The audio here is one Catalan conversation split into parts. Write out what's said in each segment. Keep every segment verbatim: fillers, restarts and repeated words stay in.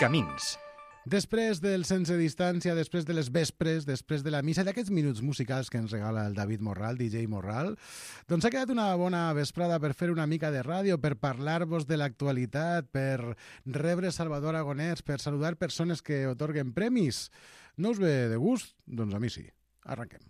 Camins. Després del Sense Distància, després de les vespres, després de la missa, d'aquests minuts musicals que ens regala el David Morral, D J Morral, doncs ha quedat una bona vesprada per fer una mica de ràdio, per parlar-vos de l'actualitat, per rebre Salvador Aragonès, per saludar persones que otorguen premis. No us ve de gust? Doncs a mi sí. Arranquem.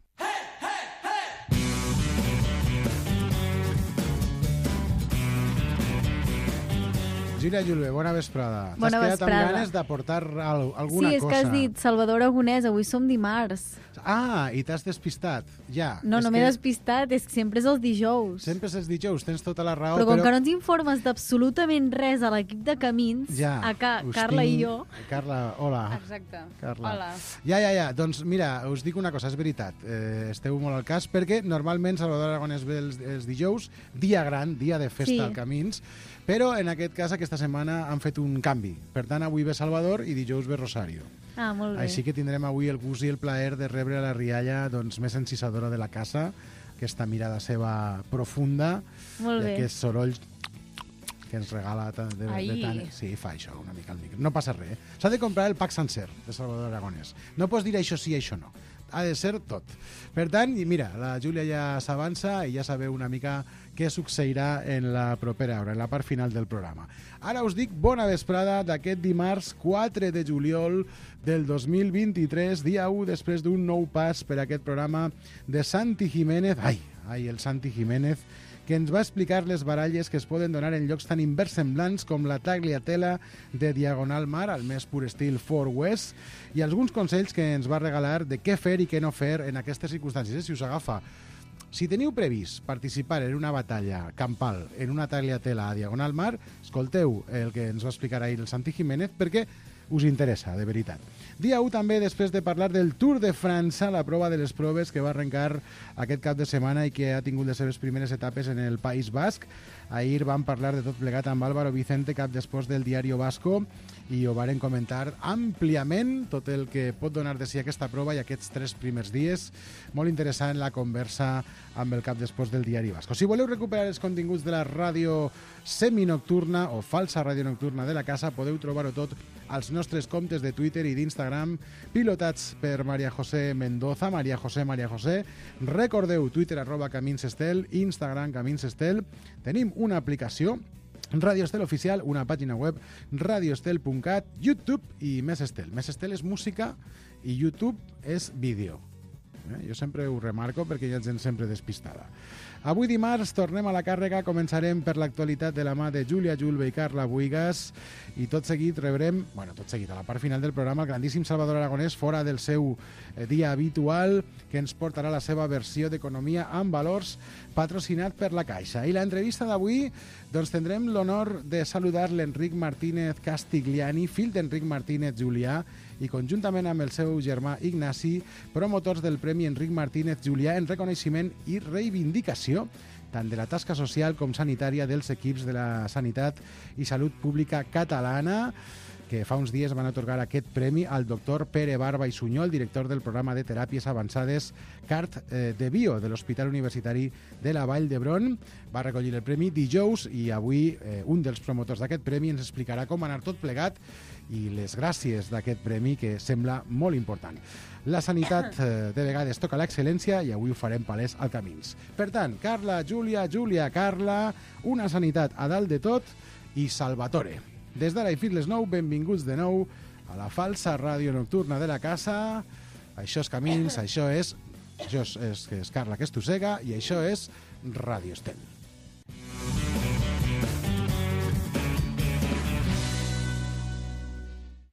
Júlia Julve, bona vesprada. Bona T'has quedat vesprada. amb ganes d'aportar al- alguna Sí, és cosa. que has dit Salvador Aragonès, avui som dimarts. Ah, i t'has despistat. Ja. No, és no m'he que despistat, és que sempre és els dijous. Sempre és els dijous, tens tota la raó, però com però... que no ens informes d'absolutament res a l'equip de Camins, Ja, a ca us Carla tinc- i jo... Carla, hola. Exacte. Carla. Hola. Ja, ja, ja. Doncs mira, us dic una cosa, és veritat. Eh, esteu molt al cas, perquè normalment Salvador Aragonès ve els, els dijous, dia gran, dia de festa Sí. al Camins, però en aquest cas, aquesta setmana, han fet un canvi. Per tant, avui ve Salvador i dijous ve Rosario. Ah, molt bé. Així que tindrem avui el gust i el plaer de rebre a la rialla doncs, més encisadora de la casa, aquesta mirada seva profunda Molt i bé. aquest soroll que ens regala de, de, de Ai. tant... Sí, fa això una mica al micro. No passa res. Eh? S'ha de comprar el pack sencer de Salvador Aragonès. No pots dir això sí, això no. Ha de ser tot. Per tant, i mira, la Júlia ja s'avança i ja sabeu una mica què succeirà en la propera hora, en la part final del programa. Ara us dic bona vesprada d'aquest dimarts quatre de juliol del dos mil vint-i-tres, dia u després d'un nou pas per aquest programa de Santi Jiménez. Ai, ai, el Santi Jiménez, que ens va explicar les baralles que es poden donar en llocs tan inversemblants com la Tagliatella de Diagonal Mar, al més pur estil Far West, i alguns consells que ens va regalar de què fer i què no fer en aquestes circumstàncies. Eh? Si us agafa, si teniu previst participar en una batalla campal en una Tagliatella a Diagonal Mar, escolteu el que ens va explicar ahir el Santi Jiménez, perquè us interessa, de veritat. Dia u també, després de parlar del Tour de França, la prova de les proves que va arrencar aquest cap de setmana i que ha tingut les seves primeres etapes en el País Basc. Ahir vam parlar de tot plegat amb Álvaro Vicente, cap d'esports del Diario Vasco, i ho varen comentar àmpliament, tot el que pot donar de si aquesta prova i aquests tres primers dies. Molt interessant la conversa amb el cap d'esports del Diari Vasco. Si voleu recuperar els continguts de la ràdio seminocturna o falsa ràdio nocturna de la casa, podeu trobar-ho tot als nostres comptes de Twitter i d'Instagram, pilotats per Maria José Mendoza, Maria José, Maria José. Recordeu, Twitter arroba Camins Estel, Instagram Camins Estel. Tenim una aplicació, Radio Estel Oficial, una pàgina web, radioestel punt cat, YouTube i Més Estel. Més Estel és música i YouTube és vídeo. Eh? Jo sempre ho remarco perquè hi ha gent sempre despistada. Avui dimarts tornem a la càrrega, començarem per l'actualitat de la mà de Júlia Julve i Carla Buigas i tot seguit rebrem, bueno, tot seguit a la part final del programa, el grandíssim Salvador Aragonès fora del seu eh, dia habitual, que ens portarà la seva versió d'Economia amb valors patrocinat per la Caixa. I l'entrevista d'avui, doncs tindrem l'honor de saludar l'Enric Martínez Castigliani, fill d'Enric Martínez Julià, i conjuntament amb el seu germà Ignasi, promotors del Premi Enric Martínez Julià en reconeixement i reivindicació tant de la tasca social com sanitària dels equips de la Sanitat i Salut Pública Catalana, que fa uns dies van atorgar aquest premi al doctor Pere Barba i Sunyol, director del programa de teràpies avançades CART eh, de Bio de l'Hospital Universitari de la Vall d'Hebron. Va recollir el premi dijous i avui eh, un dels promotors d'aquest premi ens explicarà com anar tot plegat i les gràcies d'aquest premi, que sembla molt important. La sanitat eh, de vegades toca l'excel·lència i avui ho farem palès al Camins. Per tant, Carla, Júlia, Júlia, Carla, una sanitat a dalt de tot i Salvatore. Des d'ara i fins les nou, benvinguts de nou a la falsa ràdio nocturna de la casa. Això és Camins, això és, això és, és, és Carla que estossega i això és Ràdio Estel.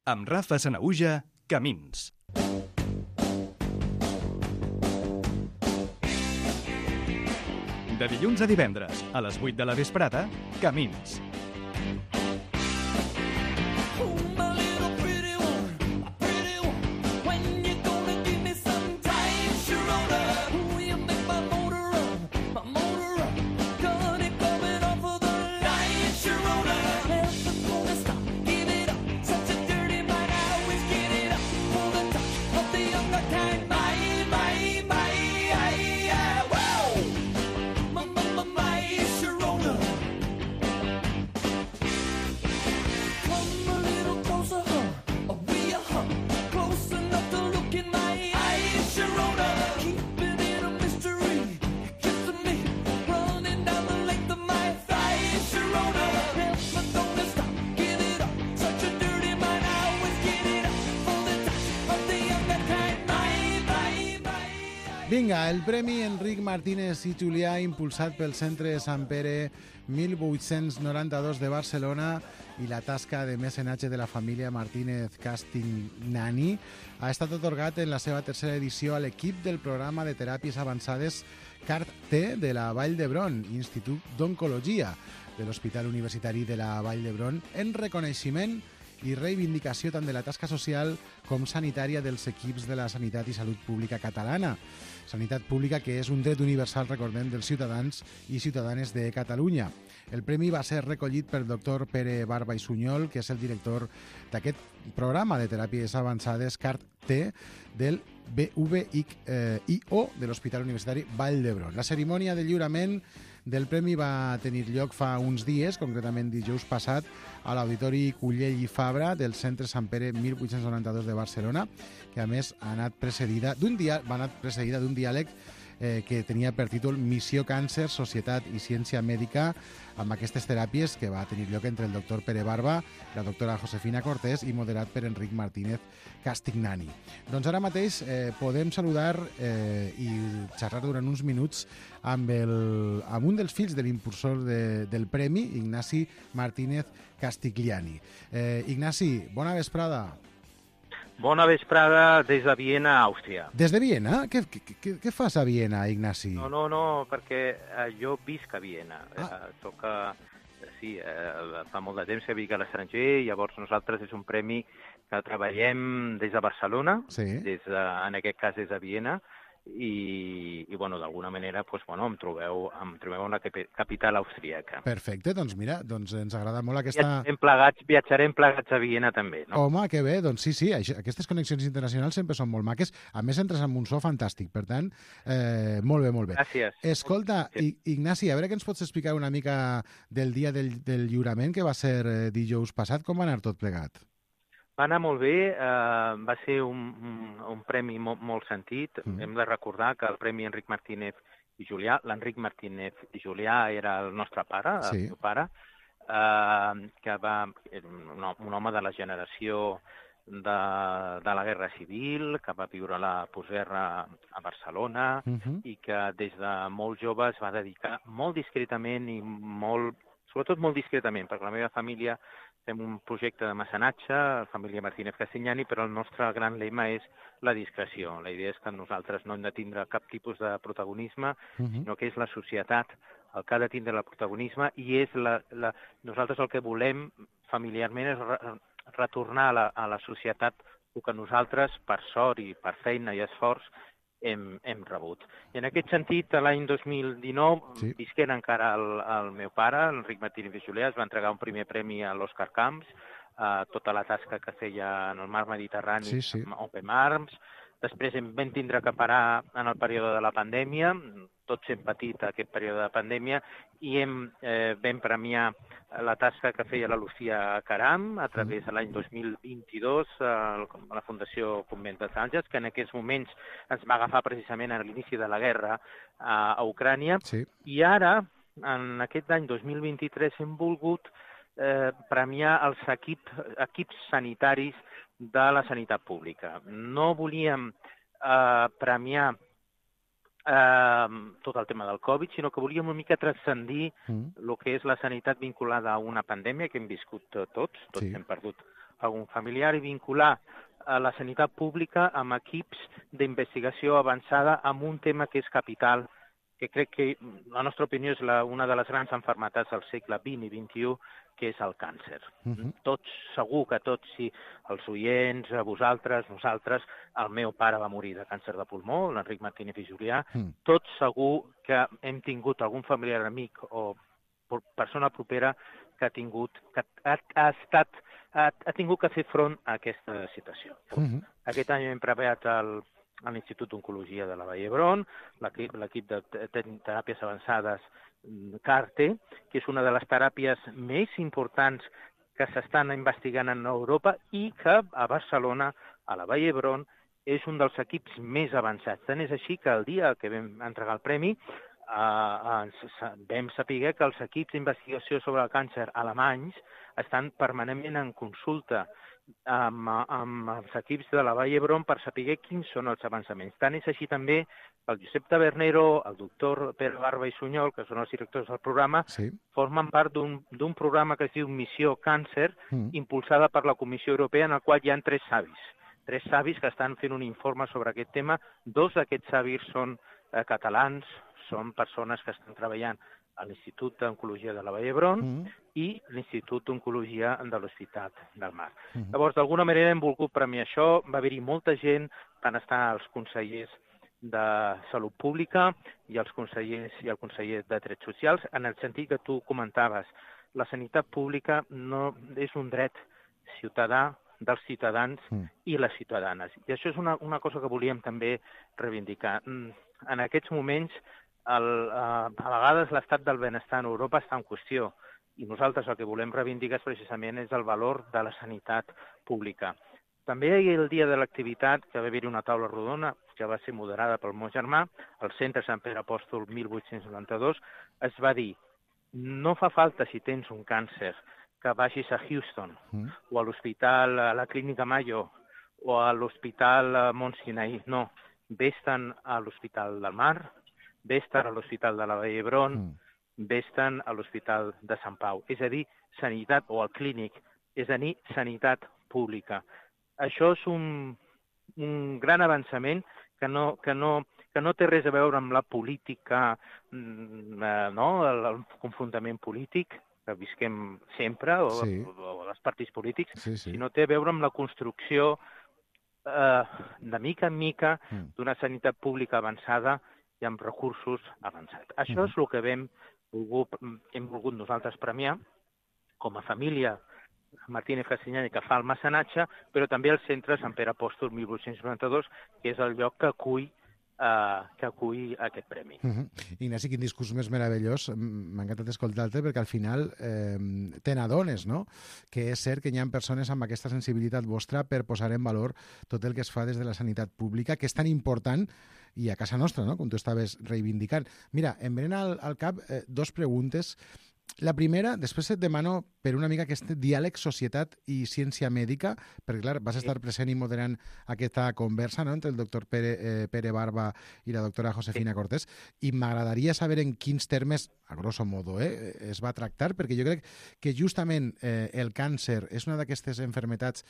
Amb Rafa Sanaüja, Camins. De dilluns a divendres, a les vuit de la vesprada, Camins. Vinga, el Premi Enric Martínez i Julià, impulsat pel Centre Sant Pere mil vuit-cents noranta-dos de Barcelona i la tasca de mecenatge de la família Martínez Castignani, ha estat atorgat en la seva tercera edició a l'equip del programa de teràpies avançades CART-T de la Vall d'Hebron, Institut d'Oncologia de l'Hospital Universitari de la Vall d'Hebron, en reconeixement i reivindicació tant de la tasca social com sanitària dels equips de la sanitat i salut pública catalana. Sanitat pública que és un dret universal, recordem, dels ciutadans i ciutadanes de Catalunya. El premi va ser recollit pel doctor Pere Barba i Sunyol, que és el director d'aquest programa de teràpies avançades CART-T del B V I O de l'Hospital Universitari Vall d'Hebron. La cerimònia de lliurament del premi va tenir lloc fa uns dies, concretament dijous passat, a l'Auditori Cullell i Fabra del Centre Sant Pere mil vuit-cents noranta-dos de Barcelona, que a més ha anat precedida d'un dia, va anar precedida d'un diàleg eh, que tenia per títol Missió Càncer, Societat i Ciència Mèdica, amb aquestes teràpies que va tenir lloc entre el doctor Pere Barba, la doctora Josefina Cortés i moderat per Enric Martínez Castignani. Doncs ara mateix eh, podem saludar eh, i xerrar durant uns minuts amb, el, amb un dels fills de l'impulsor de, del premi, Ignasi Martínez Castigliani. Eh, Ignasi, bona vesprada. Bona vesprada des de Viena, Àustria. Des de Viena? Què, què, què fas a Viena, Ignasi? No, no, no, perquè eh, jo visc a Viena. Ah. Eh, soc, eh, sí, eh, fa molt de temps que visc a l'estranger, llavors nosaltres és un premi que treballem des de Barcelona, sí. des de, en aquest cas des de Viena, i, i bueno, d'alguna manera pues, bueno, em trobeu em trobeu en la capital austríaca. Perfecte, doncs mira, doncs ens agrada molt aquesta... Viatjarem plegats, viatjarem plegats a Viena també, no? Home, que bé, doncs sí, sí, això, aquestes connexions internacionals sempre són molt maques, a més entres amb un so fantàstic, per tant, eh, molt bé, molt bé. Gràcies. Escolta, sí. Ignasi, a veure que ens pots explicar una mica del dia del, del lliurament, que va ser eh, dijous passat, com va anar tot plegat? Va anar molt bé, eh, va ser un, un, un premi molt, molt sentit. Mm. Hem de recordar que el Premi Enric Martínez i Julià, l'Enric Martínez i Julià era el nostre pare, sí. el meu pare, eh, que va, un, un home de la generació de, de la Guerra Civil, que va viure la postguerra a Barcelona, mm-hmm. i que des de molt jove es va dedicar molt discretament i molt, sobretot molt discretament, perquè la meva família fem un projecte de mecenatge, la família Martínez Castignani, però el nostre gran lema és la discreció. La idea és que nosaltres no hem de tindre cap tipus de protagonisme, uh-huh. sinó que és la societat el que ha de tindre el protagonisme i és la, la... nosaltres el que volem familiarment és re retornar a la, a la societat el que nosaltres, per sort i per feina i esforç, Hem, hem rebut. I en aquest sentit, l'any dos mil dinou, sí. visquent encara el, el meu pare, Enric Martínez i Julià, es va entregar un primer premi a l'Òscar Camps, eh, tota la tasca que feia en el mar Mediterrani, sí, sí. amb Open Arms. Després em vam tindre que parar en el període de la pandèmia, tots hem patit aquest període de pandèmia, i hem, eh, vam premiar la tasca que feia la Lucía Caram a través de l'any dos mil vint-i-dos a la Fundació Convent dels Àngels, que en aquests moments ens va agafar precisament a l'inici de la guerra a, a Ucrània. Sí. I ara, en aquest any dos mil vint-i-tres, hem volgut eh, premiar els equip, equips sanitaris de la sanitat pública. No volíem eh, premiar eh, tot el tema del Covid, sinó que volíem una mica transcendir el mm. que és la sanitat vinculada a una pandèmia que hem viscut tots, tots sí. hem perdut algun familiar, i vincular a la sanitat pública amb equips d'investigació avançada amb un tema que és capital, que crec que, la nostra opinió, és la, una de les grans malalties del segle vint i vint-i-u, que és el càncer. Uh-huh. Tots, segur que tots, si els oients, vosaltres, nosaltres, el meu pare va morir de càncer de pulmó, l'Enric Martínez i Julià, uh-huh. tots segur que hem tingut algun familiar amic o persona propera que ha tingut, que ha, ha estat, ha, ha tingut que fer front a aquesta situació. Uh-huh. Aquest any hem preparat el a l'Institut d'Oncologia de la Vall d'Hebron, l'equip de teràpies avançades CART-T, que és una de les teràpies més importants que s'estan investigant en Europa i que a Barcelona, a la Vall d'Hebron, és un dels equips més avançats. Tant és així que el dia que vam entregar el premi, eh, ens vam saber que els equips d'investigació sobre el càncer alemanys estan permanentment en consulta amb, amb els equips de la Vall d'Hebron per saber quins són els avançaments. Tant és així també que el Josep Tabernero, el doctor Pere Barba i Sunyol, que són els directors del programa, Sí. formen part d'un programa que es diu Missió Càncer, Mm. impulsada per la Comissió Europea, en el qual hi ha tres savis. Tres savis que estan fent un informe sobre aquest tema. Dos d'aquests savis són eh, catalans, són persones que estan treballant a l'Institut d'Oncologia de la Vall d'Hebron Mm. i l'Institut d'Oncologia de l'Hospital del Mar. Mhm. Llavors, d'alguna manera hem volgut premiar això. Va haver-hi molta gent, van estar els consellers de Salut Pública i els consellers i el conseller de Drets Socials, en el sentit que tu comentaves. La sanitat pública no és un dret ciutadà dels ciutadans Mm. i les ciutadanes. I això és una, una cosa que volíem també reivindicar. Mm, En aquests moments, el, eh, a vegades l'estat del benestar en Europa està en qüestió i nosaltres el que volem reivindicar precisament és el valor de la sanitat pública. També ahir, el dia de l'activitat, que va haver-hi una taula rodona, que va ser moderada pel meu germà, al Centre Sant Pere Apòstol mil vuit-cents noranta-dos, es va dir: no fa falta, si tens un càncer, que vagis a Houston Mm. o a l'hospital, a la Clínica Mayo o a l'hospital Mont Sinai. No, vés-te'n a l'Hospital del Mar, vés-te'n a l'Hospital de la Vall d'Hebron, Mm. vés-te'n a l'Hospital de Sant Pau. És a dir, sanitat, o al clínic, és a dir, sanitat pública. Això és un, un gran avançament que no, que, no, que no té res a veure amb la política, mm, eh, no? el, el confrontament polític, que visquem sempre, o, Sí. o, o els partits polítics, Sí, sí. sinó té a veure amb la construcció eh, de mica en mica Mm. d'una sanitat pública avançada i amb recursos avançats. Això és el que vam volgut, hem volgut nosaltres premiar com a família Martínez Castellani, que fa el mecenatge, però també el Centre Sant Pere Apòstol mil vuit-cents noranta-dos, que és el lloc que acull eh, que acull aquest premi. Uh -huh. Ignasi, quin discurs més meravellós. M'ha encantat escoltar-te perquè al final eh, te n'adones, no? Que és cert que hi ha persones amb aquesta sensibilitat vostra per posar en valor tot el que es fa des de la sanitat pública, que és tan important i a casa nostra, no? Com tu estaves reivindicant. Mira, em venen al, al cap eh, dos preguntes. La primera, després et demano per una mica aquest diàleg societat i ciència mèdica, perquè clar, vas estar present i moderant aquesta conversa, no?, entre el doctor Pere, eh, Pere Barba i la doctora Josefina Cortés, i m'agradaria saber en quins termes, a grosso modo, eh, es va tractar, perquè jo crec que justament eh, el càncer és una d'aquestes enfermetats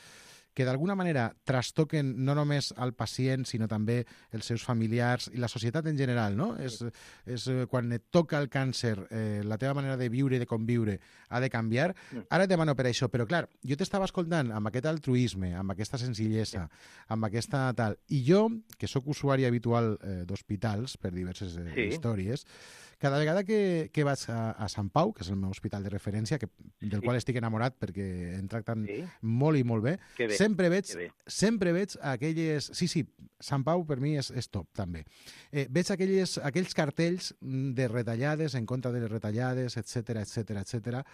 que d'alguna manera trastoquen no només al pacient, sinó també els seus familiars i la societat en general, no? És, és quan et toca el càncer, eh, la teva manera de viure i de conviure ha de canviar. Ara et demano per això, però clar, jo t'estava escoltant amb aquest altruisme, amb aquesta senzillesa, amb aquesta tal, i jo, que sóc usuari habitual eh, d'hospitals per diverses eh, Sí. històries, cada vegada que, que vaig a, a Sant Pau, que és el meu hospital de referència, que, del Sí. qual estic enamorat perquè em tracten Sí. molt i molt bé, Que bé, sempre veig, que bé. sempre veig aquelles... Sí, sí, Sant Pau per mi és, és top, també. Eh, veig aquelles, aquells cartells mm, de retallades, en contra de les retallades, etc etc etc.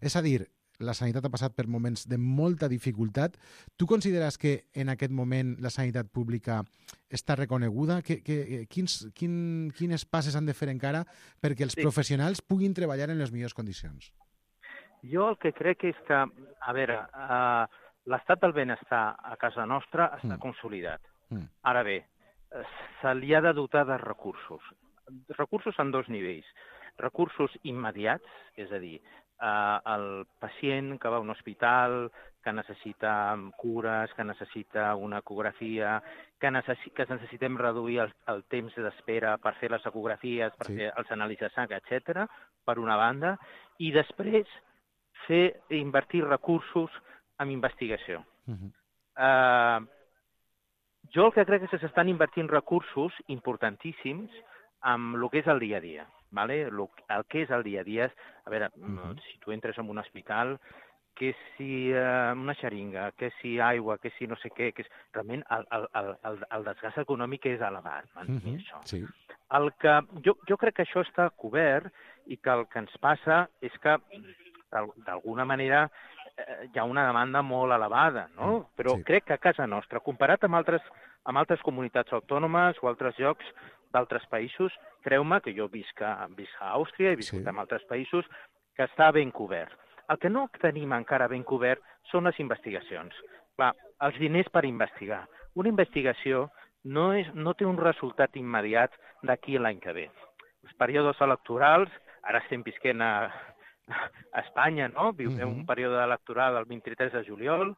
És a dir, la sanitat ha passat per moments de molta dificultat. Tu consideres que en aquest moment la sanitat pública està reconeguda? Que, que, quins, quin, quines passes han de fer encara perquè els Sí. professionals puguin treballar en les millors condicions? Jo el que crec és que, a veure, eh, l'estat del benestar a casa nostra està Mm. consolidat. Mm. Ara bé, eh, se li ha de dotar de recursos. Recursos en dos nivells. Recursos immediats, és a dir, eh, el pacient que va a un hospital, que necessita cures, que necessita una ecografia, que, necessi que necessitem reduir el, el temps d'espera per fer les ecografies, per Sí. fer els anàlisis de sang, etcètera, per una banda, i després fer invertir recursos en investigació. Uh -huh. Eh, jo el que crec és que s'estan invertint recursos importantíssims amb el que és el dia a dia. ¿Vale? Lo, el que és el dia a dia és, a veure, uh -huh. si tu entres en un hospital, que si eh, una xeringa, que si aigua, que si no sé què, que és, realment el, el, el, el, el desgast econòmic és elevat, mantenir Uh -huh. això. Sí. El que, jo, jo crec que això està cobert i que el que ens passa és que d'alguna manera eh, hi ha una demanda molt elevada, no? Però Sí. crec que a casa nostra, comparat amb altres, amb altres comunitats autònomes o altres llocs d'altres països, creu-me que jo visc a, visc a Àustria, he viscut Sí. en altres països, que està ben cobert. El que no tenim encara ben cobert són les investigacions. Clar, els diners per investigar. Una investigació no, és, no té un resultat immediat d'aquí a l'any que ve. Els períodes electorals, ara estem visquent a, a Espanya, no? Vivim Mhm. un període electoral el vint-i-tres de juliol,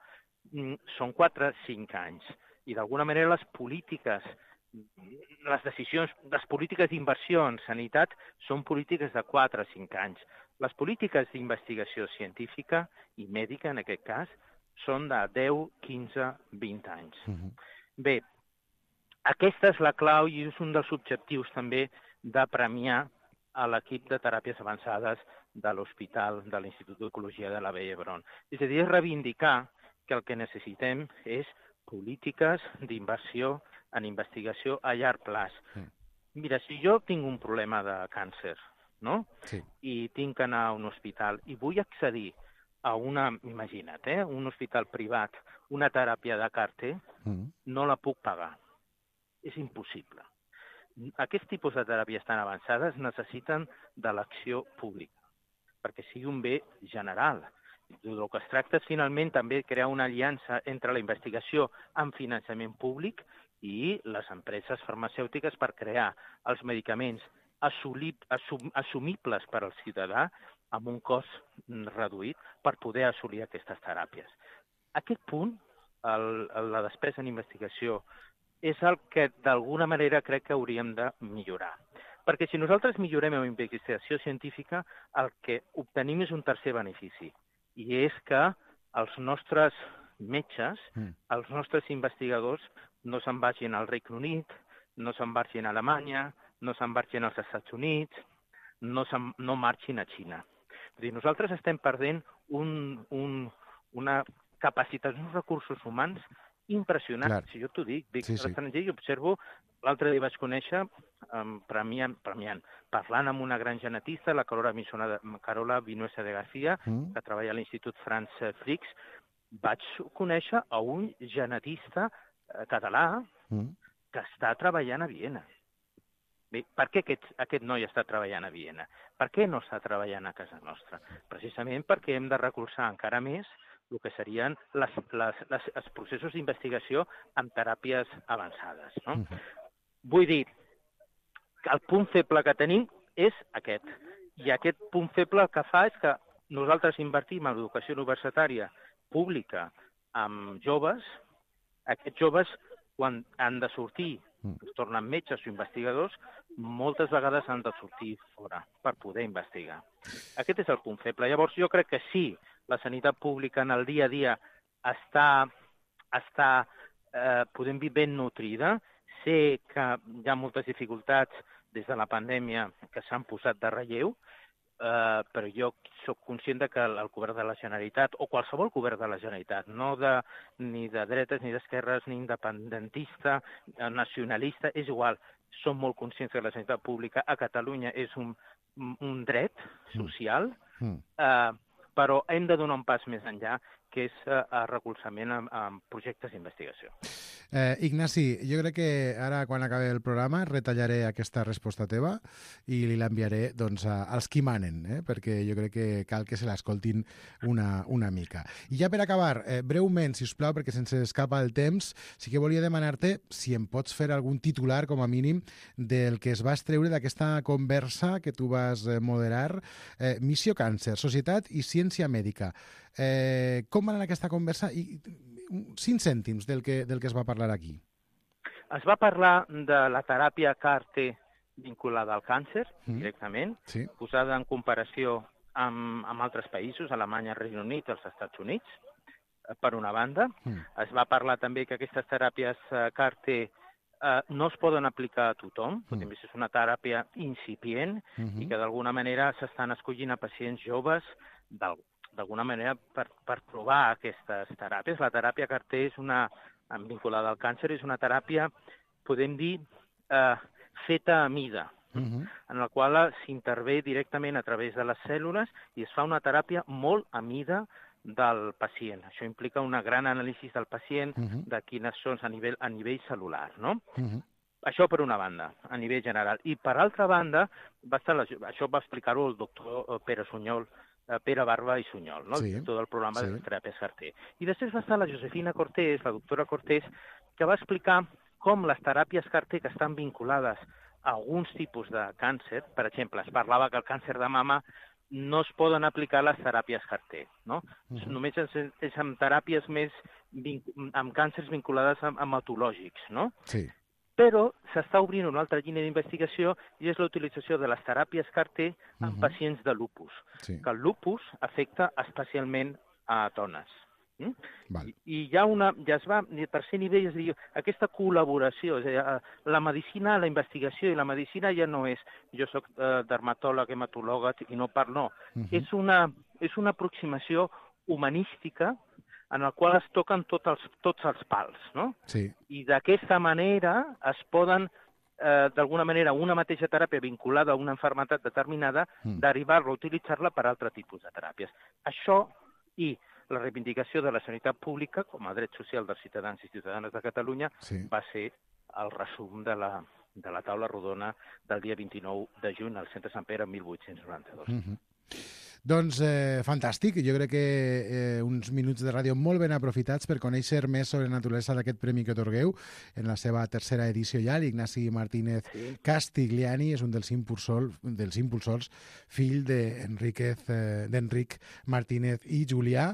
mm, són quatre cinc anys. I d'alguna manera les polítiques, les decisions, les polítiques d'inversió en sanitat són polítiques de quatre cinc anys. Les polítiques d'investigació científica i mèdica, en aquest cas, són de deu, quinze, vint anys. Mhm. Bé, aquesta és la clau i és un dels objectius també de premiar a l'equip de teràpies avançades de l'Hospital de l'Institut d'Ecologia de la Vall d'Hebron. És a dir, és reivindicar que el que necessitem és polítiques d'inversió en investigació a llarg plaç. Mm. Mira, si jo tinc un problema de càncer, no? Sí. I tinc que anar a un hospital i vull accedir a una, imagina't, eh, un hospital privat, una teràpia de C A R T, Mhm. no la puc pagar. És impossible. Aquest tipus de teràpies tan avançades necessiten de l'acció pública, perquè sigui un bé general. El que es tracta és finalment també crear una aliança entre la investigació amb finançament públic i les empreses farmacèutiques per crear els medicaments assumib, assum, assumibles per al ciutadà amb un cost reduït per poder assolir aquestes teràpies. Aquest punt, el, el, la despesa en investigació, és el que d'alguna manera crec que hauríem de millorar. Perquè si nosaltres millorem en investigació científica, el que obtenim és un tercer benefici, i és que els nostres metges, Mm. els nostres investigadors, no se'n vagin al Regne Unit, no se'n vagin a Alemanya, no se'n vagin als Estats Units, no, se'n, no marxin a Xina. És a dir, nosaltres estem perdent un, un, una capacitat, uns recursos humans impressionants. Clar. Si jo t'ho dic, dic Sí, sí, sí. a l'estranger i observo, l'altre dia vaig conèixer, um, premiant, premiant, parlant amb una gran genetista, la Carola, Misona de, Carola Vinuesa de García, Mm. que treballa a l'Institut Franz Flix, vaig conèixer a un genetista eh, català Mm. que està treballant a Viena. Bé, per què aquest, aquest noi està treballant a Viena? Per què no està treballant a casa nostra? Precisament perquè hem de recolzar encara més el que serien les, les, les, els processos d'investigació amb teràpies avançades. No? Mhm. Vull dir que el punt feble que tenim és aquest. I aquest punt feble el que fa és que nosaltres invertim en l'educació universitària pública amb joves. Aquests joves, quan han de sortir, Mm. es tornen metges o investigadors, moltes vegades han de sortir fora per poder investigar. Aquest és el punt feble. Llavors, jo crec que sí, la sanitat pública en el dia a dia està, està eh, podem dir, ben nutrida. Sé que hi ha moltes dificultats des de la pandèmia que s'han posat de relleu, eh, però jo sóc conscient de que el, el govern de la Generalitat, o qualsevol govern de la Generalitat, no de, ni de dretes, ni d'esquerres, ni independentista, eh, nacionalista, és igual, som molt conscients que la sanitat pública a Catalunya és un, un dret social, Mm. eh, però hem de donar un pas més enllà, que és eh, el recolzament en, en projectes d'investigació. Eh, Ignasi, jo crec que ara, quan acabi el programa, retallaré aquesta resposta teva i li l'enviaré doncs, a, als qui manen, eh? Perquè jo crec que cal que se l'escoltin una, una mica. I ja per acabar, eh, breument, si us plau, perquè se'ns escapa el temps, sí que volia demanar-te si em pots fer algun titular, com a mínim, del que es va extreure d'aquesta conversa que tu vas eh, moderar, eh, Missió Càncer, Societat i Ciència Mèdica. Eh, com va anar aquesta conversa i cinc cèntims del que, del que es va parlar aquí? Es va parlar de la teràpia C A R T vinculada al càncer, Mm. directament, Sí. posada en comparació amb, amb altres països, Alemanya, Regne Unit, els Estats Units, eh, per una banda. Mm. Es va parlar també que aquestes teràpies eh, C A R T eh, no es poden aplicar a tothom, Mm. mm. és una teràpia incipient Mhm. i que d'alguna manera s'estan escollint a pacients joves d'al- d'alguna manera per, per provar aquestes teràpies. La teràpia C A R T és una, vinculada al càncer, és una teràpia, podem dir, eh, feta a mida, Mhm. en la qual s'intervé directament a través de les cèl·lules i es fa una teràpia molt a mida del pacient. Això implica una gran anàlisi del pacient, Mhm. de quines són a nivell, a nivell cel·lular, no? Mhm. Això per una banda, a nivell general. I per altra banda, va estar la, això va explicar-ho el doctor Pere Sunyol, Pere Barba i Sunyol, no? Sí, el director del programa sí. de teràpies Carté. I després va estar la Josefina Cortés, la doctora Cortés, que va explicar com les teràpies Carté que estan vinculades a alguns tipus de càncer, per exemple, es parlava que el càncer de mama no es poden aplicar les teràpies Carté, no? Uh-huh. Només és, és amb teràpies més, amb càncers vinculades a hematològics, no? Sí. Però s'està obrint una altra línia d'investigació i és la utilització de les teràpies Carté en uh-huh. pacients de lupus, sí. que el lupus afecta especialment a dones. Mm? I, I ja, una, ja es va, a tercer nivell, es diu, aquesta col·laboració, és a dir, la medicina, la investigació i la medicina ja no és jo soc eh, dermatòleg, hematòloga i no parlo, no. Uh-huh. És, una, és una aproximació humanística en el qual es toquen tots els, tots els pals, no? Sí. I d'aquesta manera es poden, eh, d'alguna manera, una mateixa teràpia vinculada a una malaltia determinada, mm. derivar-la, utilitzar-la per altre tipus de teràpies. Això i la reivindicació de la sanitat pública com a dret social dels ciutadans i ciutadanes de Catalunya sí. va ser el resum de la, de la taula rodona del dia vint-i-nou de juny al Centre Sant Pere mil vuit-cents noranta-dos. Mm-hmm. Doncs eh, fantàstic, jo crec que eh, uns minuts de ràdio molt ben aprofitats per conèixer més sobre la naturalesa d'aquest premi que otorgueu en la seva tercera edició ja. L'Ignasi Martínez sí. Castigliani és un dels impulsors, dels impulsors fill d'Enric eh, Martínez i Julià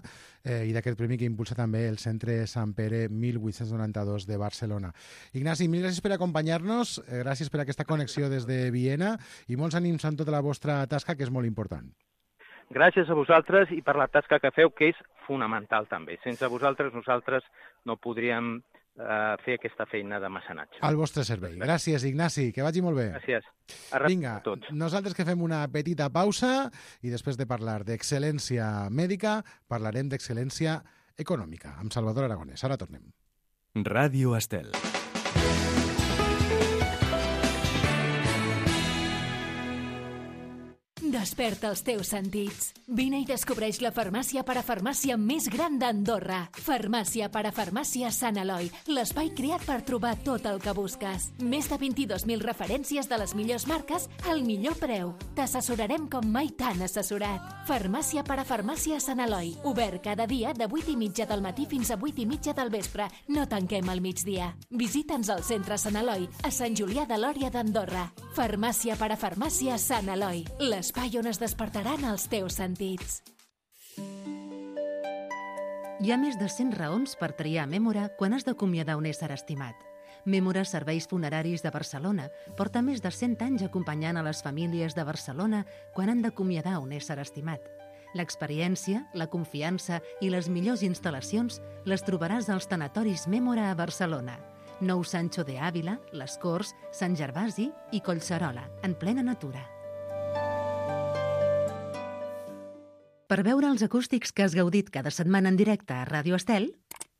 eh, i d'aquest premi que impulsa també el Centre Sant Pere mil vuit-cents noranta-dos de Barcelona. Ignasi, mil gràcies per acompanyar-nos, eh, gràcies per aquesta connexió des de Viena i molts ànims en tota la vostra tasca, que és molt important. Gràcies a vosaltres i per la tasca que feu, que és fonamental també. Sense vosaltres, nosaltres no podríem eh, fer aquesta feina de mecenatge. Al vostre servei. Gràcies, Ignasi, que vagi molt bé. Gràcies. A Vinga, a tots. Nosaltres que fem una petita pausa i després de parlar d'excel·lència mèdica, parlarem d'excel·lència econòmica amb Salvador Aragonès. Ara tornem. Ràdio Estel. Desperta els teus sentits. Vine i descobreix la farmàcia parafarmàcia més gran d'Andorra. Farmàcia parafarmàcia Sant Eloi, l'espai creat per trobar tot el que busques. Més de vint-i-dos mil referències de les millors marques al millor preu. T'assessorarem com mai t'han assessorat. Farmàcia parafarmàcia Sant Eloi, obert cada dia de vuit i mitja del matí fins a vuit i mitja del vespre. No tanquem al migdia. Visita'ns al centre Sant Eloi, a Sant Julià de Lòria d'Andorra. Farmàcia parafarmàcia Sant Eloi, l'espai on es despertaran els teus sentits. Hi ha més de cent raons per triar Mémora quan has d'acomiadar un ésser estimat. Mémora Serveis Funeraris de Barcelona porta més de cent anys acompanyant a les famílies de Barcelona quan han d'acomiadar un ésser estimat. L'experiència, la confiança i les millors instal·lacions les trobaràs als tanatoris Mémora a Barcelona. Nou Sancho de Ávila, Les Corts, Sant Gervasi i Collserola, en plena natura. Per veure els acústics que has gaudit cada setmana en directe a Ràdio Estel,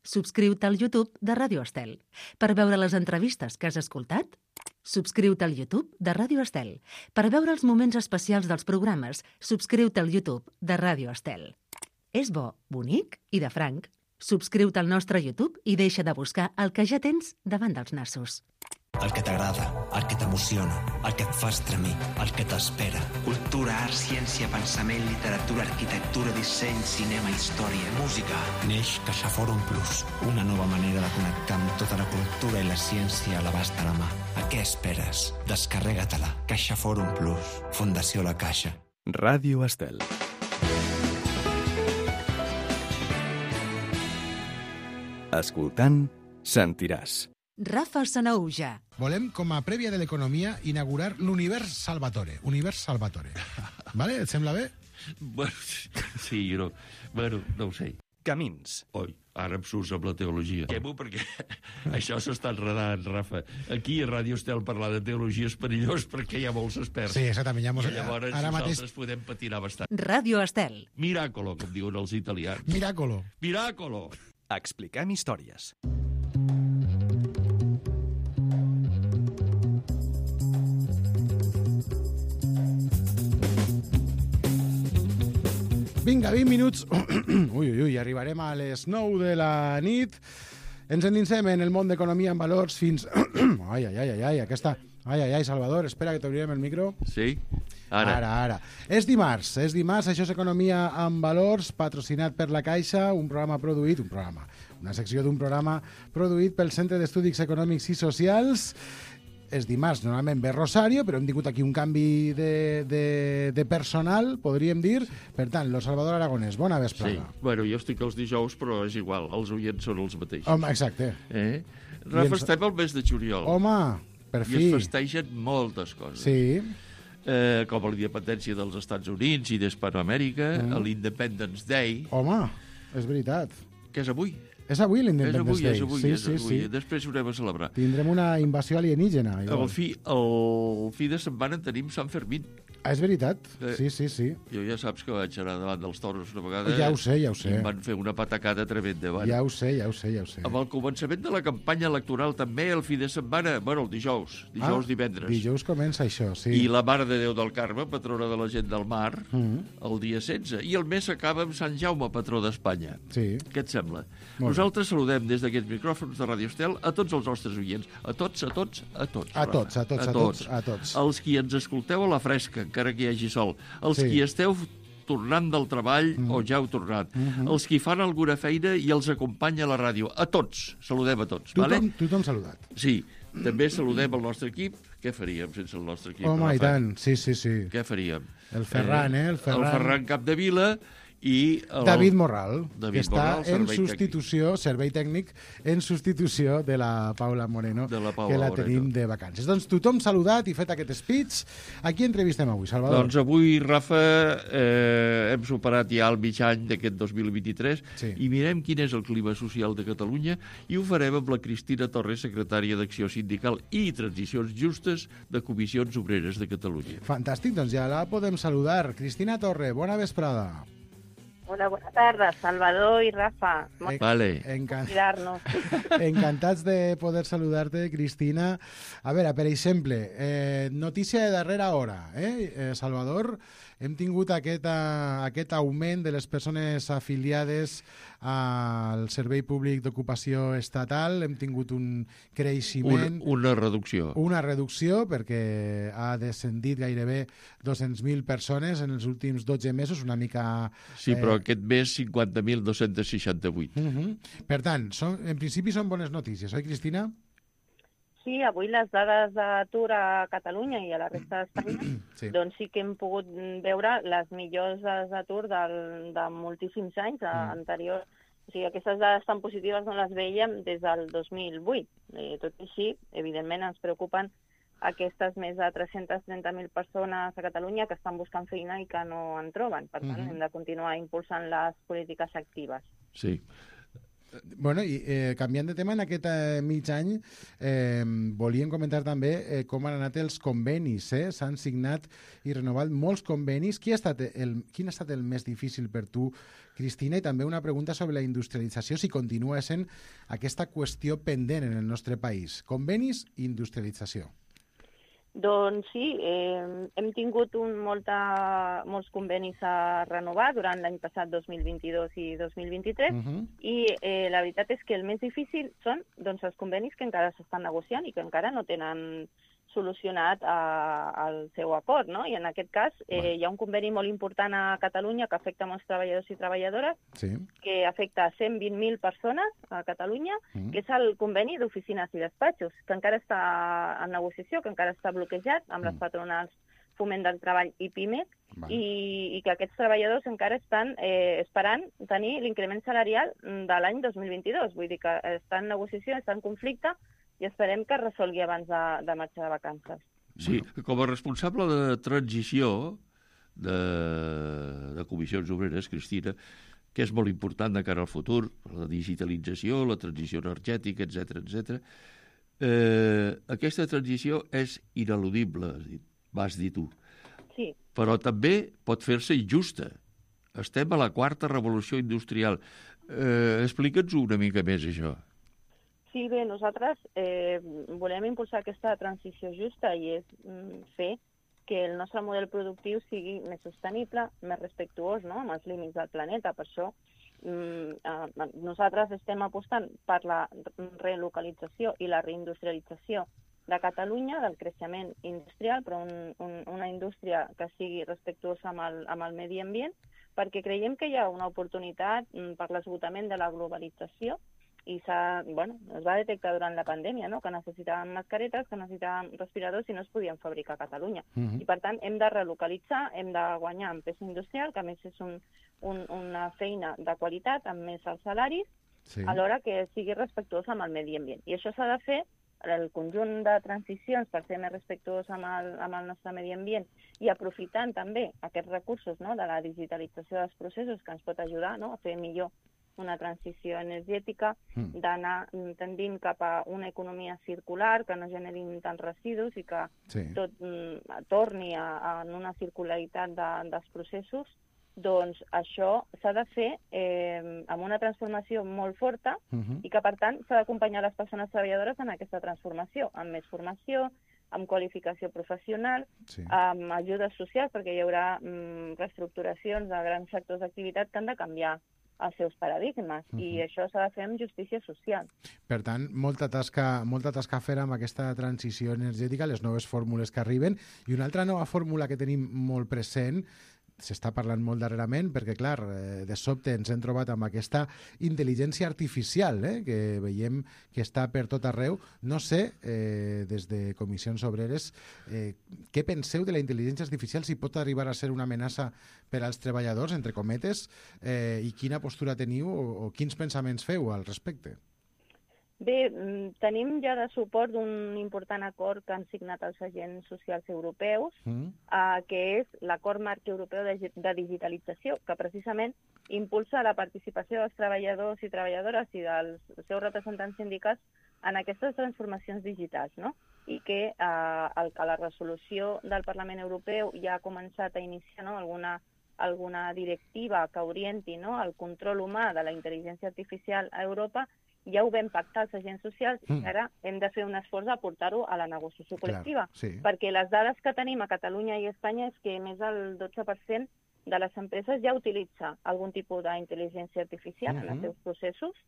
subscriu-te al YouTube de Ràdio Estel. Per veure les entrevistes que has escoltat, subscriu-te al YouTube de Ràdio Estel. Per veure els moments especials dels programes, subscriu-te al YouTube de Ràdio Estel. És bo, bonic i de franc. Subscriu-te al nostre YouTube i deixa de buscar el que ja tens davant dels nassos. El que t'agrada, el que t'emociona, el que et fa estremir, el que t'espera. Cultura, art, ciència, pensament, literatura, arquitectura, disseny, cinema, història, música. Neix CaixaForum Plus, una nova manera de connectar amb tota la cultura i la ciència a l'abast de la mà. A què esperes? Descarrega-te-la. CaixaForum Plus, Fundació La Caixa. Ràdio Estel. Escoltant, sentiràs. Rafa Sanaúja. Volem, com a prèvia de l'economia, inaugurar l'Univers Salvatore. Univers Salvatore. Vale? Et sembla bé? Bueno, sí, no, bueno, no ho sé. Camins. Oi, ara em surts amb la teologia. Quemo perquè això s'està enredant, Rafa. Aquí a Ràdio Estel parlar de teologia és perillós perquè hi ha molts experts. Sí, exactament. Ja mos... I llavors ara nosaltres mateix... podem patinar bastant. Ràdio Estel. Miracolo, com diuen els italians. Miracolo. Miracolo. Expliquem històries. Vinga, vint minuts. Ui, ui, ui, arribarem a les nou de la nit Ens endinsem en el món d'economia en valors fins... ai, ai, ai, ai, ai, aquesta... Ai, ai, ai, Salvador, espera que t'obrirem el micro. Sí? Ara. Ara, ara. És dimarts, és dimarts, això és Economia en Valors, patrocinat per la Caixa, un programa produït, un programa, una secció d'un programa produït pel Centre d'Estudis Econòmics i Socials. És dimarts, normalment ve Rosario, però hem tingut aquí un canvi de, de, de personal, podríem dir. Per tant, lo Salvador Aragonès, bona vesprada. Sí, bueno, jo estic els dijous, però és igual, els oients són els mateixos. Home, exacte. Eh? Rafa, ens... estem al mes de juliol. Home, per fi. I es festegen moltes coses. Sí. Eh, com la independència dels Estats Units i d'Hispanoamèrica, mm. l'Independence Day. Home, és veritat. Que és avui. És avui l'Independence Day. És avui, sí, és sí, avui. Sí. Després ho anem a celebrar. Tindrem una invasió alienígena. El fi, el fi de setmana tenim Sant Fermín. Ah, és veritat. Eh, sí, sí, sí. Jo ja saps que vaig anar davant dels toros una vegada. Ja ho sé, ja ho sé. I em van fer una patacada tremenda. Bueno, ja ho sé, ja ho sé, ja ho sé. Amb el començament de la campanya electoral també, el fi de setmana, bueno, el dijous, dijous, ah, divendres. Dijous comença això, sí. I la Mare de Déu del Carme, patrona de la gent del mar, mm. el dia setze. I el mes acaba amb Sant Jaume, patró d'Espanya. Sí. Què et sembla? Molt Nosaltres bé. Saludem des d'aquests micròfons de Radio Estel a tots els nostres oients. A tots, a tots, a tots. A tots, a tots, a, a tots, a tots. Els qui ens escolteu a la fresca, encara que hi hagi sol. Els sí. qui esteu tornant del treball mm. o ja heu tornat. Mm -hmm. Els qui fan alguna feina i els acompanya a la ràdio. A tots. Saludem a tots. Tothom, vale? tothom saludat. Sí. També saludem el nostre equip. Què faríem sense el nostre equip? Home, i tant. Sí, sí, sí. Què faríem? El Ferran, eh? El Ferran, el Ferran Capdevila i... El... David Morral, David que està Morral, en substitució, tècnic. servei tècnic, en substitució de la Paula Moreno, de la Paula que la Moreno. tenim de vacances. Doncs tothom saludat i fet aquest speech. A qui entrevistem avui, Salvador? Doncs avui, Rafa, eh, hem superat ja el mig any d'aquest dos mil vint-i-tres sí. i mirem quin és el clima social de Catalunya i ho farem amb la Cristina Torres, secretària d'Acció Sindical i Transicions Justes de Comissions Obreres de Catalunya. Fantàstic, doncs ja la podem saludar. Cristina Torre, bona vesprada. Hola, bona tarda, Salvador i Rafa. En... Vale. Encan... Encantats. Encantats de poder saludar-te, Cristina. A veure, per exemple, eh, notícia de darrera hora, eh, eh Salvador, hem tingut aquest, uh, aquest augment de les persones afiliades al Servei Públic d'Ocupació Estatal, hem tingut un creixement... Un, una reducció. Una reducció, perquè ha descendit gairebé dos-cents mil persones en els últims dotze mesos, una mica... Sí, però eh... aquest mes cinquanta mil dos-cents seixanta-vuit. Uh -huh. Per tant, són, en principi són bones notícies, oi, Cristina? Sí, avui les dades d'atur a Catalunya i a la resta d'Espanya, sí. doncs sí que hem pogut veure les millors dades d'atur de moltíssims anys mm. anteriors. O sigui, aquestes dades tan positives no les veiem des del dos mil vuit. Eh, tot i així, evidentment, ens preocupen aquestes més de tres-centes trenta mil persones a Catalunya que estan buscant feina i que no en troben. Per tant, mm-hmm. hem de continuar impulsant les polítiques actives. Sí. Bueno, i eh, canviant de tema, en aquest eh, mig any eh, volíem comentar també eh, com han anat els convenis. Eh? S'han signat i renovat molts convenis. Qui ha estat el, quin ha estat el més difícil per tu, Cristina? I també una pregunta sobre la industrialització, si continua sent aquesta qüestió pendent en el nostre país. Convenis i industrialització. Doncs sí, eh, hem tingut un molta, molts convenis a renovar durant l'any passat, dos mil vint-i-dos i dos mil vint-i-tres, uh-huh. i eh, la veritat és que el més difícil són doncs, els convenis que encara s'estan negociant i que encara no tenen solucionat eh, el seu acord, no? I en aquest cas eh, hi ha un conveni molt important a Catalunya que afecta molts treballadors i treballadores, sí. que afecta cent vint mil persones a Catalunya, mm. que és el conveni d'oficines i despatxos, que encara està en negociació, que encara està bloquejat amb mm. les patronals Foment del Treball i PIMEC, i, i que aquests treballadors encara estan eh, esperant tenir l'increment salarial de l'any dos mil vint-i-dos. Vull dir que està en negociació, està en conflicte, i esperem que es resolgui abans de, de marxar de vacances. Sí, com a responsable de transició de, de comissions obreres, Cristina, que és molt important de cara al futur, la digitalització, la transició energètica, etcètera, etcètera. Eh, aquesta transició és ineludible, vas dir tu. Sí. Però també pot fer-se injusta. Estem a la quarta revolució industrial. Eh, Explica'ns una mica més, això. Sí, bé, nosaltres eh, volem impulsar aquesta transició justa i és mm, fer que el nostre model productiu sigui més sostenible, més respectuós, no?, amb els límits del planeta. Per això nosaltres estem apostant per la relocalització i la reindustrialització de Catalunya, del creixement industrial, però un, un, una indústria que sigui respectuosa amb el, amb el medi ambient, perquè creiem que hi ha una oportunitat per l'esgotament de la globalització i s'ha, bueno, es va detectar durant la pandèmia, no?, que necessitàvem mascaretes, que necessitàvem respiradors i no es podien fabricar a Catalunya. Uh-huh. I, per tant, hem de relocalitzar, hem de guanyar en peça industrial, que a més és un, un, una feina de qualitat, amb més els salaris, sí, alhora que sigui respectuosa amb el medi ambient. I això s'ha de fer, el conjunt de transicions per ser més respectuós amb el, amb el nostre medi ambient i aprofitant també aquests recursos, no?, de la digitalització dels processos que ens pot ajudar, no?, a fer millor una transició energètica, mm. d'anar tendint cap a una economia circular, que no generin tants residus i que sí, tot mm, torni a, a una circularitat de, dels processos, doncs això s'ha de fer eh, amb una transformació molt forta uh-huh, i que, per tant, s'ha d'acompanyar les persones treballadores en aquesta transformació, amb més formació, amb qualificació professional, sí, amb ajudes socials, perquè hi haurà mm, reestructuracions de grans sectors d'activitat que han de canviar els seus paradigmes, uh-huh, i això s'ha de fer amb justícia social. Per tant, molta tasca, molta tasca a fer amb aquesta transició energètica, les noves fórmules que arriben, i una altra nova fórmula que tenim molt present, s'està parlant molt darrerament, perquè, clar, de sobte ens hem trobat amb aquesta intel·ligència artificial, eh, que veiem que està per tot arreu. No sé, eh, des de Comissions Obreres, eh, què penseu de la intel·ligència artificial, si pot arribar a ser una amenaça per als treballadors, entre cometes, eh, i quina postura teniu o, o quins pensaments feu al respecte? Bé, tenim ja de suport d'un important acord que han signat els agents socials europeus, mm. eh, que és l'acord marc europeu de, de digitalització, que precisament impulsa la participació dels treballadors i treballadores i dels seus representants sindicals en aquestes transformacions digitals, no? I que, eh, el, que la resolució del Parlament Europeu ja ha començat a iniciar, no?, alguna, alguna directiva que orienti, no?, el control humà de la intel·ligència artificial a Europa. Ja ho vam pactar els agents socials mm. i ara hem de fer un esforç a portar-ho a la negociació col·lectiva. Clar, sí. Perquè les dades que tenim a Catalunya i a Espanya és que més del dotze per cent de les empreses ja utilitza algun tipus d'intel·ligència artificial mm-hmm. en els seus processos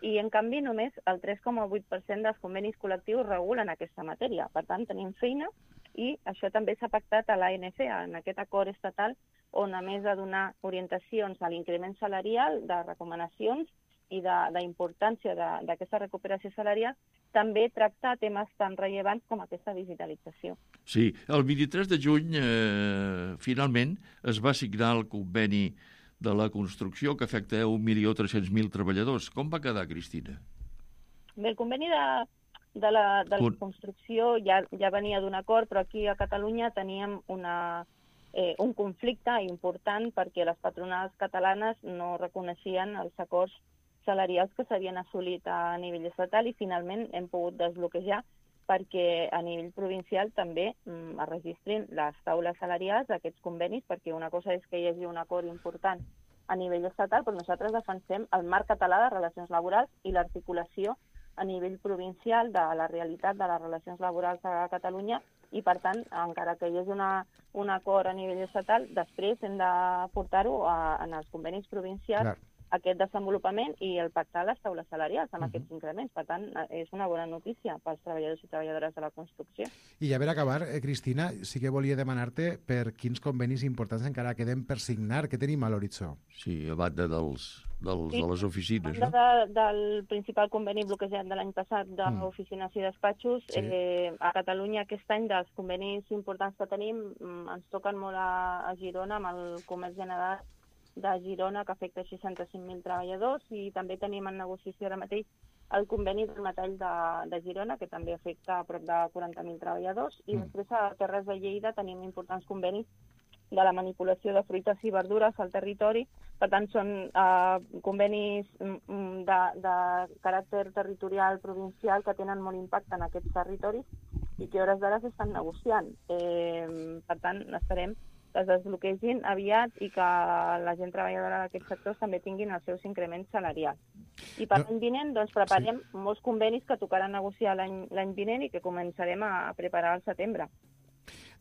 i, en canvi, només el tres coma vuit per cent dels convenis col·lectius regulen aquesta matèria. Per tant, tenim feina i això també s'ha pactat a l'A N C, en aquest acord estatal, on, a més de donar orientacions a l'increment salarial, de recomanacions i d'importància d'aquesta recuperació salarial, també tracta temes tan rellevants com aquesta digitalització. Sí, el vint-i-tres de juny, eh, finalment, es va signar el conveni de la construcció que afecta un milió tres-cents mil treballadors. Com va quedar, Cristina? Bé, el conveni de, de, la, de la construcció ja, ja venia d'un acord, però aquí a Catalunya teníem una... Eh, un conflicte important perquè les patronals catalanes no reconeixien els acords salarials que s'havien assolit a nivell estatal i finalment hem pogut desbloquejar perquè a nivell provincial també mm, es registrin les taules salarials d'aquests convenis, perquè una cosa és que hi hagi un acord important a nivell estatal, però nosaltres defensem el marc català de relacions laborals i l'articulació a nivell provincial de la realitat de les relacions laborals a Catalunya i, per tant, encara que hi hagi una, un acord a nivell estatal, després hem de portar-ho en els convenis provincials, clar, aquest desenvolupament i el pactar les taules salarials amb uh-huh. aquests increments. Per tant, és una bona notícia pels treballadors i treballadores de la construcció. I ja per acabar, eh, Cristina, sí que volia demanar-te per quins convenis importants encara queden per signar, que tenim a l'horitzó. Sí, a banda dels, dels, sí, de les oficines, no? De, del principal conveni bloquejat de l'any passat d'oficines mm. i despatxos, sí. eh, a Catalunya aquest any dels convenis importants que tenim ens toquen molt a, a Girona amb el comerç general de Girona, que afecta seixanta-cinc mil treballadors, i també tenim en negociació ara mateix el conveni del metall de, de Girona, que també afecta a prop de quaranta mil treballadors, i mm. després a Terres de Lleida tenim importants convenis de la manipulació de fruites i verdures al territori. Per tant, són eh, convenis de, de caràcter territorial provincial que tenen molt impacte en aquests territoris i que a hores d'ara s'estan negociant. Eh, per tant, esperem que es desbloquegin aviat i que la gent treballadora d'aquests sectors també tinguin els seus increments salarials. I per l'any vinent doncs, preparem sí. molts convenis que tocaran negociar l'any vinent i que començarem a preparar al setembre.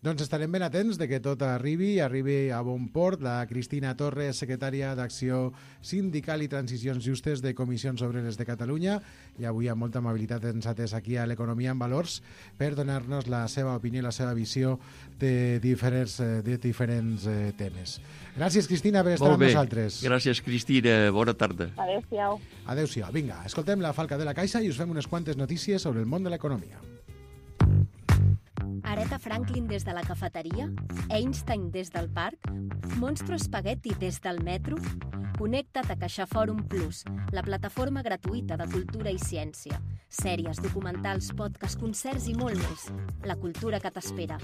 Doncs estarem ben atents de que tot arribi, arribi a bon port. La Cristina Torres, secretària d'Acció Sindical i Transicions Justes de Comissions Obreres de Catalunya, i avui amb molta amabilitat ens ha atès aquí a l'Economia en Valors per donar-nos la seva opinió i la seva visió de diferents, de diferents eh, temes. Gràcies, Cristina, per estar amb nosaltres. Gràcies, Cristina. Bona tarda. Adéu-siau. Adéu-siau. Vinga, escoltem la Falca de la Caixa i us fem unes quantes notícies sobre el món de l'economia. Aretha Franklin des de la cafeteria? Einstein des del parc? Monstro Spaghetti des del metro? Connecta't a CaixaForum Plus, la plataforma gratuïta de cultura i ciència. Sèries, documentals, podcasts, concerts i molt més. La cultura que t'espera.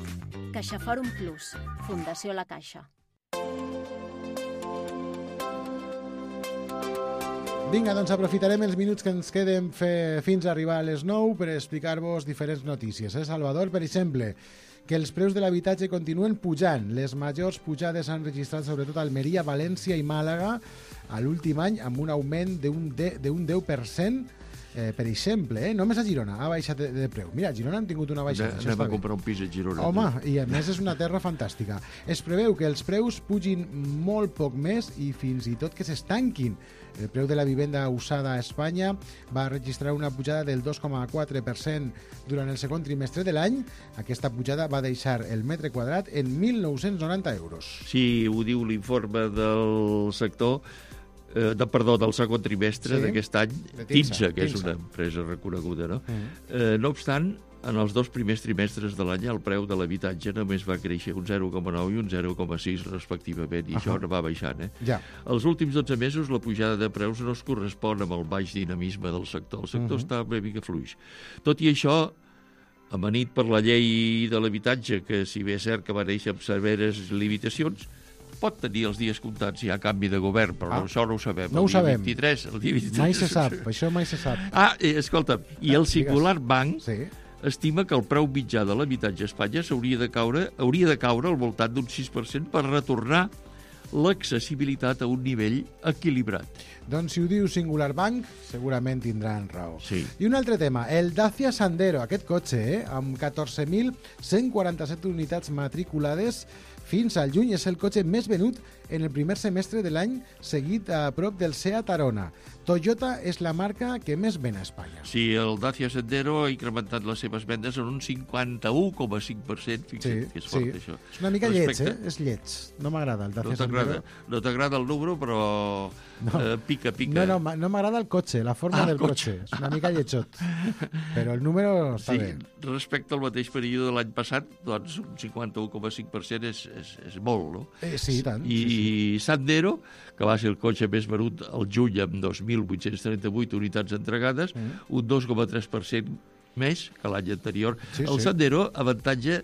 CaixaForum Plus, Fundació La Caixa. Vinga, doncs aprofitarem els minuts que ens queden fe, fins a arribar a les nou per explicar-vos diferents notícies. Eh, Salvador, per exemple, que els preus de l'habitatge continuen pujant. Les majors pujades s'han registrat sobretot a Almeria, València i Màlaga a l'últim any, amb un augment d'un deu per cent. Eh, per exemple, eh, només a Girona ha baixat de, de preu. Mira, a Girona han tingut una baixada. Anem a comprar un pis a Girona. Home, i a més és una terra fantàstica. Es preveu que els preus pugin molt poc més i fins i tot que s'estanquin. El preu de la vivenda usada a Espanya va registrar una pujada del dos coma quatre per cent durant el segon trimestre de l'any. Aquesta pujada va deixar el metre quadrat en mil nou-cents noranta euros. Sí, ho diu l'informe del sector, eh, de, perdó, del segon trimestre sí? d'aquest any, Tinsa, que és una empresa reconeguda, no? Mm. Eh, no obstant, en els dos primers trimestres de l'any el preu de l'habitatge només va créixer un zero coma nou i un zero coma sis respectivament, i uh -huh. això no va baixant. Eh? Ja. Els últims dotze mesos la pujada de preus no es correspon amb el baix dinamisme del sector. El sector uh -huh. està una mica fluix. Tot i això, amanit per la llei de l'habitatge, que si bé és cert que va néixer amb severes limitacions, pot tenir els dies comptats ja a canvi de govern, però ah, això no ho sabem. No ho sabem. vint-i-tres, el dia vint-i-tres. Mai se sap, això mai se sap. Ah, eh, escolta, i el Singular Bank sí. estima que el preu mitjà de l'habitatge a Espanya s'hauria de caure, hauria de caure al voltant d'un sis per cent per retornar l'accessibilitat a un nivell equilibrat. Doncs si ho diu Singular Bank, segurament tindran raó. Sí. I un altre tema, el Dacia Sandero, aquest cotxe, eh, amb catorze mil cent quaranta-set unitats matriculades fins al juny, és el cotxe més venut en el primer semestre de l'any, seguit a prop del Seat Arona. Toyota és la marca que més ven a Espanya. Sí, el Dacia Sandero ha incrementat les seves vendes en un cinquanta-u coma cinc per cent. Fixa't sí, que és fort, sí. això. És una mica Respecte... lleig, eh? És lleig. No m'agrada el Dacia no Sandero. No t'agrada el número, però no. eh, pica, pica. No, no, no m'agrada el cotxe, la forma ah, del cotxe. cotxe. És una mica lletjot. Però el número està sí, bé. Respecte al mateix període de l'any passat, doncs un cinquanta-u coma cinc per cent és, és, és molt, no? Eh, sí, tant. I sí, sí. Sandero, que va ser el cotxe més venut al juny amb dos mil vuit-cents trenta-vuit unitats entregades, mm. un dos coma tres per cent més que l'any anterior. Sí, el sí. Sandero avantatja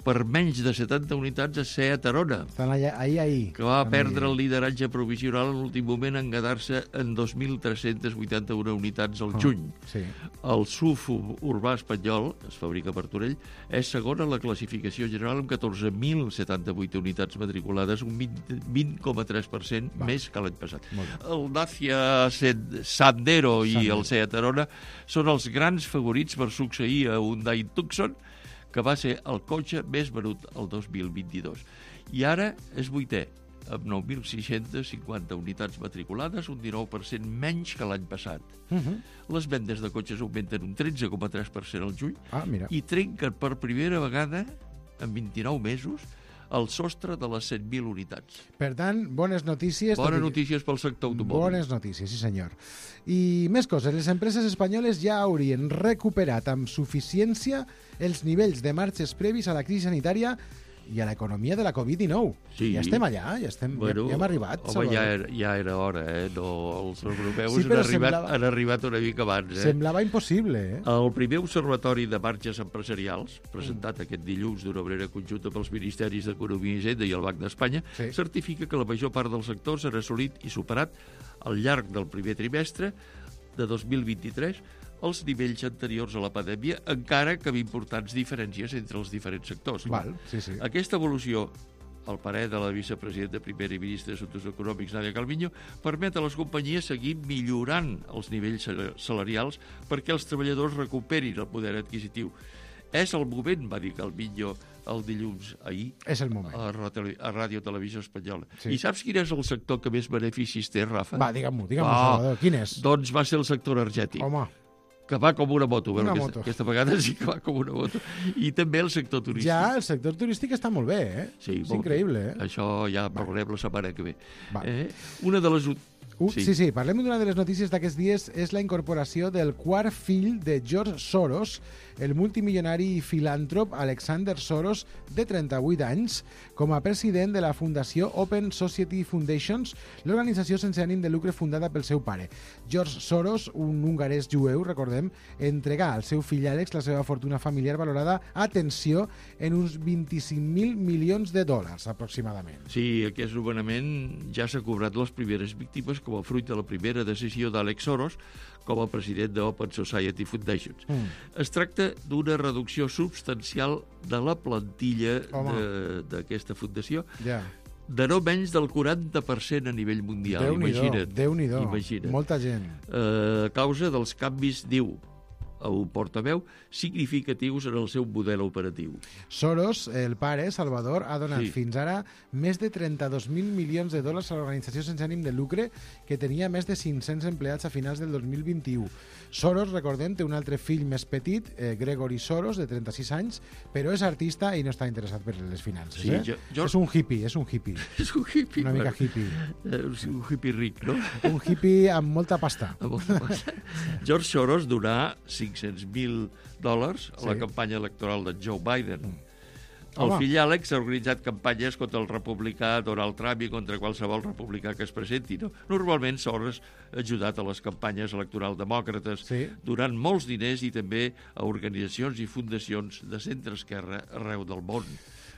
per menys de setanta unitats a Seat Arona, Estan allà, ahí, ahí. que va Estan perdre ahí. el lideratge provisional en l'últim moment en quedar-se en dos mil tres-cents vuitanta-u unitats al juny. Oh, sí. El S U V urbà espanyol, es fabrica per Torell, és segon en la classificació general amb catorze mil setanta-vuit unitats matriculades, un vint coma tres per cent més que l'any passat. El Dacia Sandero i Sandero. El Seat Arona són els grans favorits per succeir a Hyundai Tucson, que va ser el cotxe més venut el dos mil vint-i-dos. I ara és vuitè, amb nou mil sis-cents cinquanta unitats matriculades, un dinou per cent menys que l'any passat. Uh -huh. Les vendes de cotxes augmenten un tretze coma tres per cent al juny ah, mira. i trenquen per primera vegada, en vint-i-nou mesos, el sostre de les cent mil unitats. Per tant, bones notícies. Bones notícies pel sector automòbil. Bones notícies, sí senyor. I més coses, les empreses espanyoles ja haurien recuperat amb suficiència els nivells de marxes previs a la crisi sanitària i a l'economia de la covid dinou. Sí. Ja estem allà, ja, estem, bueno, ja, ja hem arribat. Home, ja era, ja era hora, eh? No, els europeus sí, han, arribat, semblava, han arribat una mica abans. Eh? Semblava impossible, eh? El primer observatori de marges empresarials, presentat mm. aquest dilluns d'una manera conjunta pels Ministeris d'Economia i Hisenda i el Banc d'Espanya, sí. certifica que la major part del sector s'ha assolit i superat al llarg del primer trimestre de dos mil vint-i-tres els nivells anteriors a la pandèmia, encara que amb importants diferències entre els diferents sectors. Val, sí, sí. Aquesta evolució, al parer de la vicepresidenta primera i ministra d'Assumptes Econòmics, Nadia Calviño, permet a les companyies seguir millorant els nivells salarials perquè els treballadors recuperin el poder adquisitiu. És el moment, va dir Calviño el dilluns ahir és el moment. A, a Ràdio Televisió Espanyola. Sí. I saps quin és el sector que més beneficis té, Rafa? Va, digue-m'ho, digue-m'ho, Salvador. Quin és? Doncs va ser el sector energètic. Home. Que va com una moto. Una Bueno, moto. aquesta, aquesta vegada sí que va com una moto. I també el sector turístic. Ja, el sector turístic està molt bé, eh? Sí, és increïble, bé. eh? Això ja parlarem la setmana que ve. Va. Eh? Una de les... Uh, sí. sí, sí, parlem d'una de les notícies d'aquests dies, és la incorporació del quart fill de George Soros, el multimilionari i filàntrop Alexander Soros, de trenta-vuit anys, com a president de la Fundació Open Society Foundations, l'organització sense ànim de lucre fundada pel seu pare. George Soros, un hongarès jueu, recordem, entregà al seu fill Àlex la seva fortuna familiar valorada, atenció, en uns vint-i-cinc mil milions de dòlars, aproximadament. Sí, aquest nomenament ja s'ha cobrat les primeres víctimes com a fruit de la primera decisió d'Àlex Soros com a president de Open Society Foundations. Mm. Es tracta d'una reducció substancial de la plantilla d'aquesta fundació, ja. de no menys del quaranta per cent a nivell mundial. Déu-n'hi-do, imagina't. Déu-n'hi-do. Imagina't. Molta gent. Eh, a causa dels canvis, diu el portaveu, significatius en el seu model operatiu. Soros, el pare, Salvador, ha donat Sí. fins ara més de trenta-dos mil milions de dòlars a l'organització sense ànim de lucre, que tenia més de cinc-cents empleats a finals del dos mil vint-i-u. Soros, recordem, té un altre fill més petit, eh, Gregory Soros, de trenta-sis anys, però és artista i no està interessat per les finances. Sí, eh? jo, jo... És un hippie, és un hippie. És un hippie. Una mica bueno, hippie. Eh, un hippie ric, no? Un hippie amb molta pasta. Amb molta pasta. George Soros donà cinc-cents mil dòlars a la Sí. campanya electoral de Joe Biden. Mm. El Home. fill Àlex ha organitzat campanyes contra el republicà Donald Trump i contra qualsevol republicà que es presenti. No? Normalment Soros ha ajudat a les campanyes electorals demòcrates, Sí. donant molts diners i també a organitzacions i fundacions de centre-esquerra arreu del món.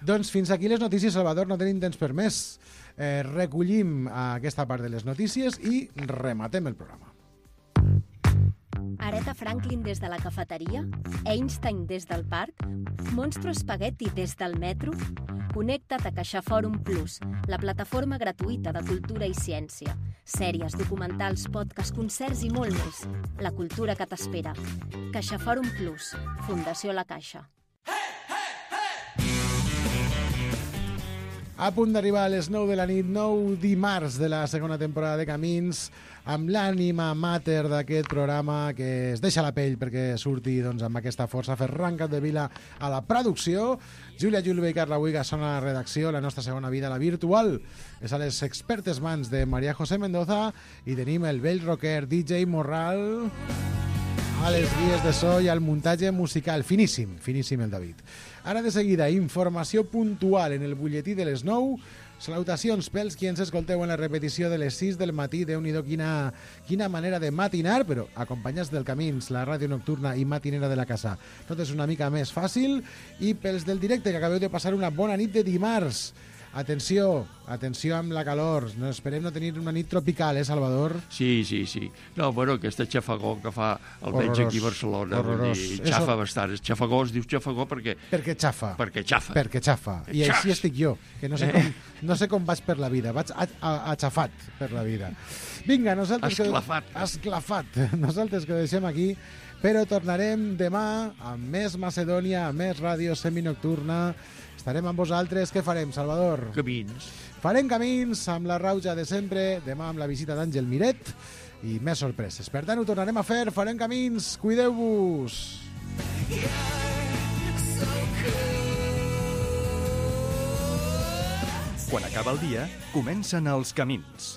Doncs fins aquí les notícies, Salvador, no tenim temps per més. Eh, recollim aquesta part de les notícies i rematem el programa. Aretha Franklin des de la cafeteria? Einstein des del parc? Monstro Spaghetti des del metro? Connecta't a CaixaForum Plus, la plataforma gratuïta de cultura i ciència. Sèries, documentals, podcasts, concerts i molt més. La cultura que t'espera. CaixaForum Plus, Fundació La Caixa. A punt d'arribar a les nou de la nit, nou dimarts de la segona temporada de Camins, amb l'ànima mater d'aquest programa que es deixa la pell perquè surti doncs, amb aquesta força. Ferran Capdevila a la producció, Júlia Julve i Carla Huiga són a la redacció, la nostra segona vida, la virtual, és a les expertes mans de María José Mendoza i tenim el vell rocker D J Morral a les guies de so i al muntatge musical. Finíssim, finíssim el David. Ara de seguida, informació puntual en el butlletí de les nou. Salutacions pels qui ens escolteu en la repetició de les sis del matí. Déu-n'hi-do quina, quina manera de matinar, però acompanyats del Camins, la ràdio nocturna i matinera de la casa. Tot és una mica més fàcil. I pels del directe, que acabeu de passar una bona nit de dimarts. Atenció, atenció amb la calor. No esperem no tenir una nit tropical, eh, Salvador? Sí, sí, sí. No, bueno, aquesta xafagó que fa almenys Horrorós, aquí a Barcelona, vull horrorós. dir, Eso- xafa bastant. És xafagó, es diu xafagó perquè... Perquè xafa. Perquè xafa. Perquè xafa. I Xaf. així estic jo, que no sé com, no sé com vaig per la vida. Vaig a, a, aixafat per la vida. Vinga, nosaltres... Esclafat. Que, esclafat. Nosaltres que ho deixem aquí, però tornarem demà amb més Macedònia, amb més ràdio seminocturna. Estarem amb vosaltres. Què farem, Salvador? Camins. Farem camins amb la rauja de sempre, demà amb la visita d'Àngel Miret i més sorpreses. Per tant, ho tornarem a fer, farem camins, cuideu-vos! Quan acaba el dia, comencen els camins.